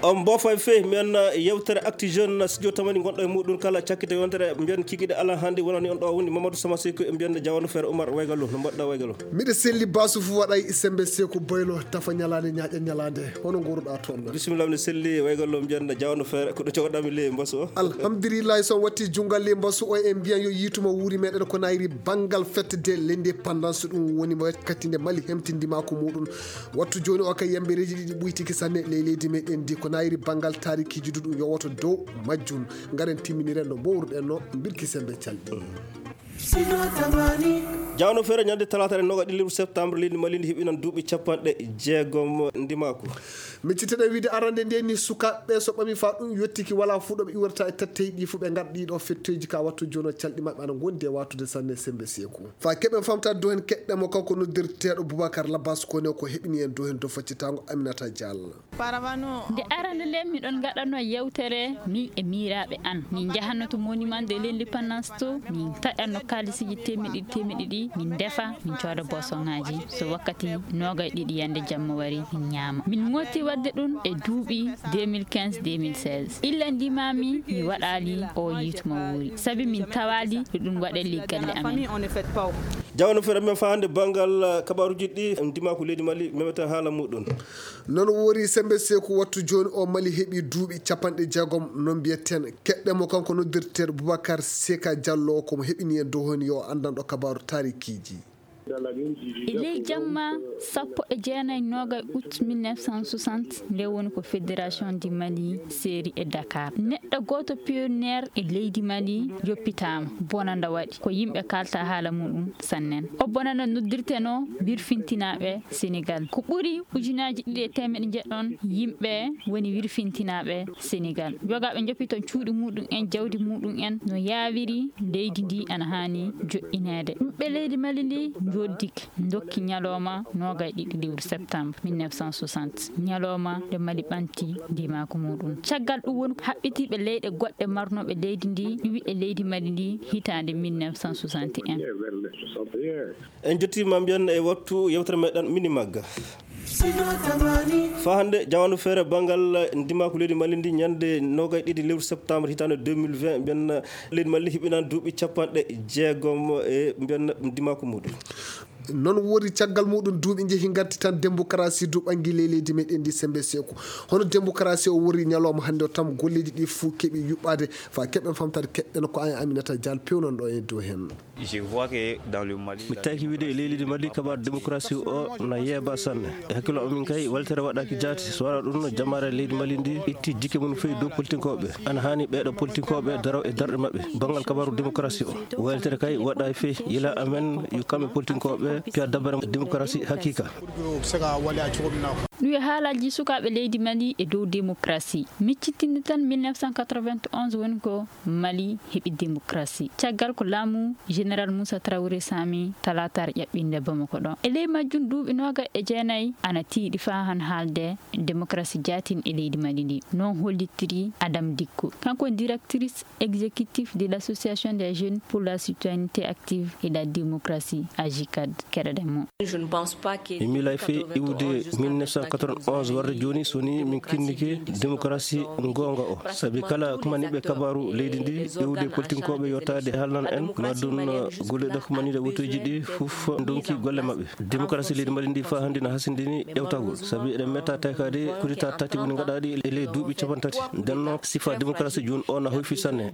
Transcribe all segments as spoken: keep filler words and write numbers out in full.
on bofa fe men yewtere acti jeune studio tamani gonɗo e muɗum kala cakkite yontere mbiyen kikiɗe ala hande wonani on ɗo woni Mamadou Sama Sekou e mbiyen Diawano Frère Oumar Waygalo no mbaɗɗa Waygalo miɗa selli basu fu waɗay sembe Sekou boylo tafa ñalade ñaaƴa ñalade hono goruɗa toon bisimillah mi selli Waygalo mbiyen Diawano Frère ko ɗo cogoɗami le mbasu o alhamdulillah so watti jungal le mbasu o e mbiyan yo yituma wuuri meɗen ko nayri bangal fête de l'indépendance ɗum woni wakkati nde Mali hemtindima ko muɗum wattu joni o kay yambereji ɗiɗi ɓuyti sanne ley leydi meɗen di ko nayri bangal tarikiji ɗum yowoto dow majjum garen timminiren no mbowruɗen no birki sembe calɗi Diawano Frère ñande talata en noga ɗilliru septembre leydi Mali ndi heɓinan duuɓi capanɗe jeegom ndimako micciteɗen wiide arande nde ni sukaɓeɓe so ɓami fa ɗum yettiki wala fu ɗoɓe iwrata e tattey ɗi fu ɓe garɗi ɗo fettoji ka wattu joni calɗi mabɓe ana gondi e watude sanne sembe Sekou fa keɓen famtade dow hen keɗɗemo kanko noddirteɗo Boubacar Labas Kone ko heɓini en dow hen dow faccitago Aminata Diallo nde arande nde miɗon gaɗano yewtere min e miraɓe an min jahanno to monument de l'indépendance to min taƴanno kalisiji temeɗe ɗiɗi temeɗe ɗiɗi min defa min cooda bosongaji so wakkati nogay ɗiɗi yande jamma wari min ñaama min moti wadde ɗum e duuɓi deux mille quinze deux mille seize illa ndimami mi waɗali o yituma wuuri saabi min tawali ɗo ɗum waɗe liggalle amen Diawano Frère men fa hande bangal kabaruji ɗi ndima ko leydi Mali memeta haala muɗum non wori sembe Sekou wattu joni o Mali heeɓi duuɓi capanɗe jeegom no mbiyetten keɗɗemo kanko noddirteɗo Boubacar Seka Diallo komo heɓini en dow hen yo andanɗo kabaru tarikiji e ley jamma sappo e jeenayi noga août mille neuf cent soixante nde woni ko fédération du Mali séri e Dakar neɗɗo goto pionniére e leydi Mali yoppitama bonanda waɗi ko yimɓe kalta haala muɗum sannen o bonanda noddirteno wirfintinaɓe Sénégal ko ɓuuri ujunaji ɗiɗi e temeɗe jeɗɗon yimɓe woni wirfintinaɓe Sénégal jogaɓe joppiton cuuɗi muɗum en jawdi muɗum en no yawiri leydi ndi ana hani joƴinede ɓe leydi Mali ndi joddik dokki ñalowma nogay ɗiɗi lewru septembre mille neuf cent soixante ñalowma nde Mali ɓanti ndimako muɗum caggal ɗum woni haɓɓitiɓe leyɗe goɗɗe marnoɓe leydi ndi ɗiwi e leydi Mali ndi hitande mille neuf cent soixante et un en jettima mbiyen e wattu yewtere meɗen mini magga fa hande Diawano Frère bangal ndimako leydi Mali ndi ñande nogay ɗiɗi lewru septembre hitande deux mille vingt mbiyen leydi Mali hiɓinan duuɓi capanɗe jeegom e mbiyen ndimako muɗum non wori caggal muɗum duuɓi jeehi garti tan démocratie duɓangi ley leydi meɗen ndi sembe Sekou hono démocratie o wori ñalawma hande o tam golleji ɗi fuu keeɓi yuɓɓade fa keɓen famtade keɗɗen ko an Aminata Diallo pewnon ɗo e dow hen mi taki wiide e leydi Mali kabaru démocratie o na yeeba sanne e hakkilo amin kay waltere waɗaki jaati so wona ɗum no jamare leydi Mali ndi itti jikke mum fewi dow politinkoɓe ana hani ɓeɗo politinkoɓe daraw e darɗe mabɓe bangal kabaru démocratie o waltere kay waɗa fe yila amen yo kamɓe politinkoɓe piya dabare démocratie hakika ɗum e haalaji sukaɓe leydi Mali e dow démocratie miccitinde tan mille neuf cent quatre-vingt-onze woni ko Mali heeɓi démocratie caggal ko laamu général Moussa Traoré Sami talatar ƴaɓɓinde Bamako ɗo e ley majjum duuɓi noga e jeenayyi ana tiiɗi fa han haalde démocratie jaatin e leydi Mali ndi non hollitiri Adam Dicko kanko directrice exécutif de l'association des jeunes pour la citoyenneté active et la démocratie A J C A D keɗoɗenmo emi lay fe iwde mille neuf cent quatre-vingt-onze warde joni soni min kinnike démocratie gonga o saabi kala kumaniɓe kabaru leydi ndi iwde politinkoɓe yottade haalnan en maɗum golleɗe kumanide wotoji ɗi foof donki golle mabɓe démocratie leydi Mali ndi fa hande no hasindini ƴewtagol saabi eɗen metta taykade kudita tati woni gaɗaɗi e ley duuɓi capan tati nden noon sifa démocratie joni o na hoyfi sanne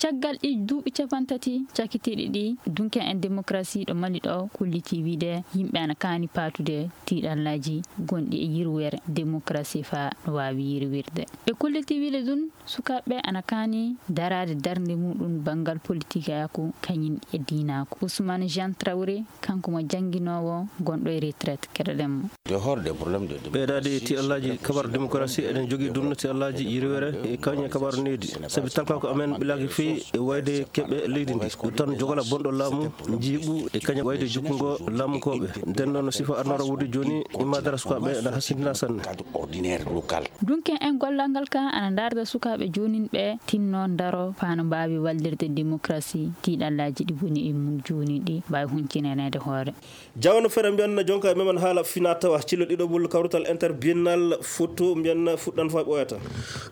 caggal ɗi duuɓi capan tati cakkitiɗi ɗi dunken en démocratie ɗo Mali ɗo kulliti wiide yimɓe ana kaani patude tiiɗallaji gonɗi e yirwere démocratie fa no wawi yirwirde ɓe kulliti wiide ɗum sukaɓe ana kaani darade darde muɗum bangal politique yako kañum e dinako Ousmane Jean Traoré kanko mo janguinowo gonɗo e retraite keɗoɗenmo ɓeydade tiiɗallaji kabaru démocratie eɗen jogui ɗum tiiɗallaji yirwere e kañum kabaru nedi saabi talka ko amen ɓilaki fewi e wayde keɓe leydi ndi ɗum tan jogola bonɗo laamu jiiɓu e kañum wayde jukkugo lamkoɓe nden noon sifa arnora wuurde joni imadara sukaɓe na hasindina sanne dunken en gollal ngal ka ana darda sukaɓe jonin ɓe tinno daro fano mbawi wallirde démocratie tiiɗallaji ɗi woni e mum joni ɗi mbawi huncinenede hoore jawno fere mbiyanna jonka e memen haala fina tawa cillo ɗiɗo ɓol kawrutal interbiennal photo mbiyanna fuɗɗan fa ɓoyata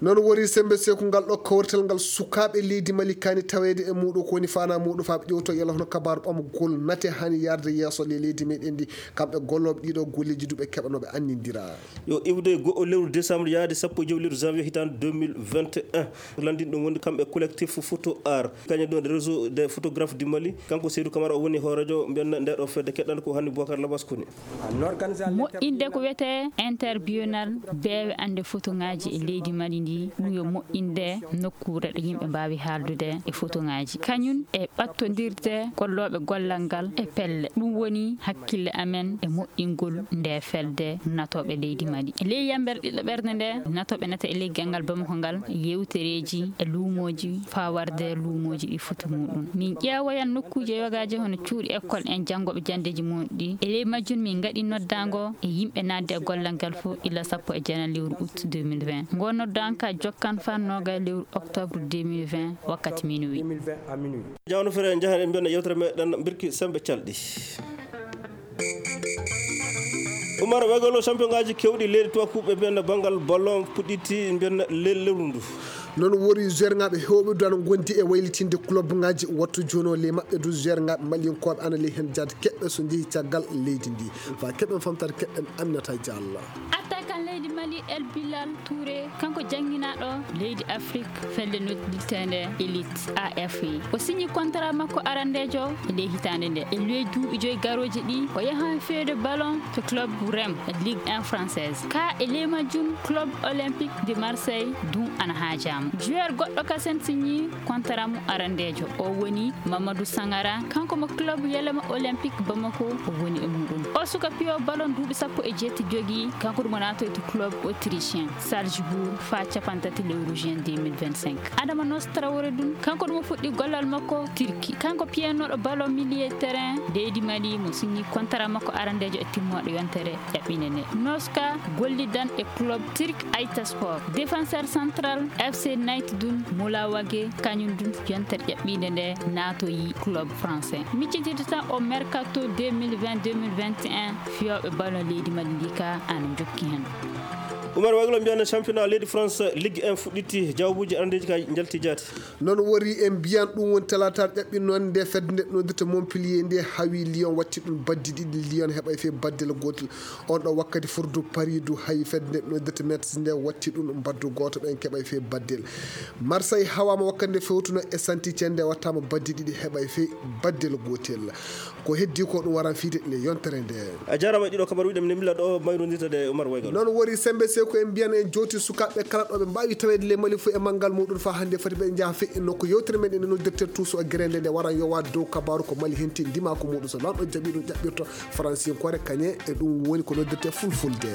noon wori sembe seku ngal ɗo kawrital ngal sukaɓe leydi Mali kani tawede e muɗum ko woni fana muɗum faɓe ƴewto yalla hono kabaru ɓamgol nate hani yarde yesso le leydi meɗen ndi kamɓe golloɓe ɗiɗo golleji duɓe keɓanoɓe annidira yo iwde go'o lewru décembre yaade sappo e joyi lewru janvier hitande deux mille vingt et un landin ɗum woni kamɓe collectif photo art kañum ɗon réseau des photographes du Mali kanko Seydou Camara o woni ho radio mbiyanna ndeɗo fedde keɗɗande ko hanni Boubacar Labas koni moƴƴinde ko wiyete interbiennal beewe ande photo ngaji e leydi Mali ndi ɗum yo moƴƴinde nokkure ɗo yimɓe mbawi haaldude e photo ngaji kañum e ɓattodirde golloɓe gollal ngal e pelle ɗum woni hakkille amen e moƴƴingol nde felde natoɓe leydi Mali e ley yambere ɗiɗɗo ɓerde nde natoɓe nata e leggal ngal Bamako ngal yewtereji e luumoji fawarde luumoji ɗi photo muɗum min ƴeewoyan nokkuje yogaji hono cuuɗi école en janggoɓe jandeji muɗum ɗi e ley majjum min gaɗi noddago e yimɓe nadde e gollal ngal fof illa sappo e jeenan lewru août deux mille vingt ngo noddanka jokkan fannoga lewru octobre deux mille vingt wakkati minuit jawno fere jahan en mbiyana yewtere meɗen birki sembe calɗi Oumar Wegolo champion ngaji kewɗi leydi tubakuɓe mbiyanna banggal ballon puɗɗiti mbiyanna lewru ndu noon wori joueur ngaɓe hewɓe dano gondi e waylitinde club ngaji wattu jono le mabɓe du joueur ngaɓe mallinkoɓe ana ley hen jade keɓɓe so jeehi caggal leydi ndi fa keɓɓen famtade keɓɓen Aminata Diallo attaquant leydi Mali El Bilal Touré kanko jangguinaɗo leydi Afrique felde nodditende élite A F I o signi contrat makko arandejo e ley hitande nde e ley duuɓi joyi garoji ɗi o yahan feede ballon to club Rem Ligue un française ka e ley majjum club olympique de Marseille dum ana haajama joueur goɗɗo kasen signi contrat mo arandejo o woni Mamadou Sangara kanko mo club Yelema Olympique Bamako o woni e muɗum o suka piyo ballon duuɓi sappo e jeetti jogui kanko ɗum nato to club autrichien Salzbourg fa capantati lewru juin deux mille vingt-cinq Adama Nostrawore dum kanko ɗum fuɗɗi gollal makko Turki kanko piyanoɗo ballon milieu terrain leydi Mali mo signi contrat makko arandejo e timmoɗo yontere ƴaɓɓine nde Noska gollidan e club Turk Aytaspor défenseur central F C Night dun Moula Wage kañum dun yontere ƴaɓɓinde nde natoyi club français miccitide tan o mercato deux mille vingt deux mille vingt et un fiyoɓe ballon leydi Mali ndi ka ana jokki hen Oumar Waglo mbiyana championnat leydi France Ligue un fuɗɗiti jawbuji arandeji ka jalti jaati noon wori en mbiyan ɗum woni talataɗo ƴaɓɓi noon nde fedde nde noddirta Montpellier nde hawi Lyon watti ɗum baddi ɗiɗi Lyon heɓa fe baddel gotel on ɗo wakkati furdu Paris du hayi fedde nde noddirta Metz nde watti ɗum baddu goto ɓen keɓa fe baddel Marseille hawama wakkati nde fewtuno e Saint-Étienne nde wattama baddi ɗiɗi heɓa fe baddel gotel ko heddi ko ɗum waran fiide le yontere nde a jarama ɗiɗo kabar wiɗem ne milla ɗo mayrodirtade Oumar Waglo noon wori sembe ko en mbiyan en joti sukaɓe kala ɗo ɓe mbawi tawede le Mali fo e manggal muɗum fa hande foti ɓe jaaha fe nokko yewtere men ene noddirte tuuso e guerende nde waran yowa dow kabaru ko Mali henti ndima ko muɗum so lamɗo jaaɓi ɗum jaɓɓirto français kore kañe e ɗum woni ko noddirte fulfulde